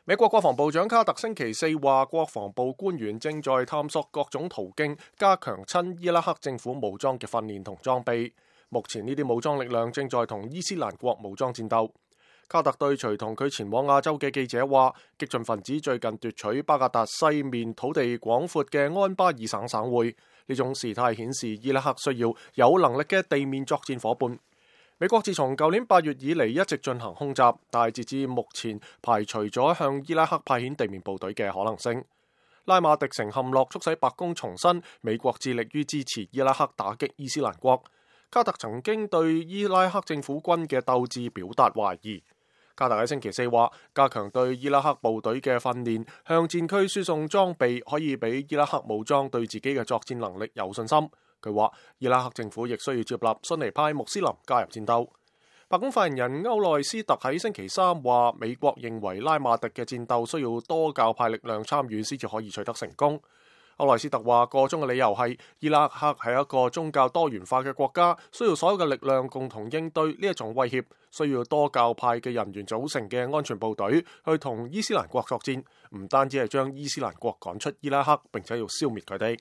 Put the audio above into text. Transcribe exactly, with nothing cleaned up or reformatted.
美國國防部長卡特星期四話，國防部官員正在探索各種途徑加強親伊拉克政府武裝嘅訓練同裝備。目前呢啲武裝力量正在同伊斯蘭國武裝戰鬥。卡特對隨同佢前往亞洲嘅記者話，激進分子最近奪取巴格達西面土地廣闊嘅安巴爾省省會，呢種事態顯示伊拉克需要有能力嘅地面作戰夥伴。美國自從舊年八月以嚟一直進行空襲，但係截至目前排除咗向伊拉克派遣地面部隊嘅可能性。拉馬迪城陷落，促使白宮重申美國致力於支持伊拉克打擊伊斯蘭國。卡特曾經對伊拉克政府軍嘅鬥志表達懷疑。卡特喺星期四話，加強對伊拉克部隊嘅訓練，向戰區輸送裝備，可以俾伊拉克武裝對自己嘅作戰能力有信心。佢話，伊拉克政府亦需要接納遜尼派穆斯林加入戰鬥。白宮發言人歐內斯特喺星期三話，美國認為拉馬迪嘅戰鬥需要多教派力量參與先至可以取得成功。歐內斯特話，個中嘅理由係伊拉克係一個宗教多元化嘅國家，需要所有嘅力量共同應對呢一種威脅，需要多教派嘅人員組成嘅安全部隊去同伊斯蘭國作戰，唔單止係將伊斯蘭國趕出伊拉克，並且要消滅佢哋。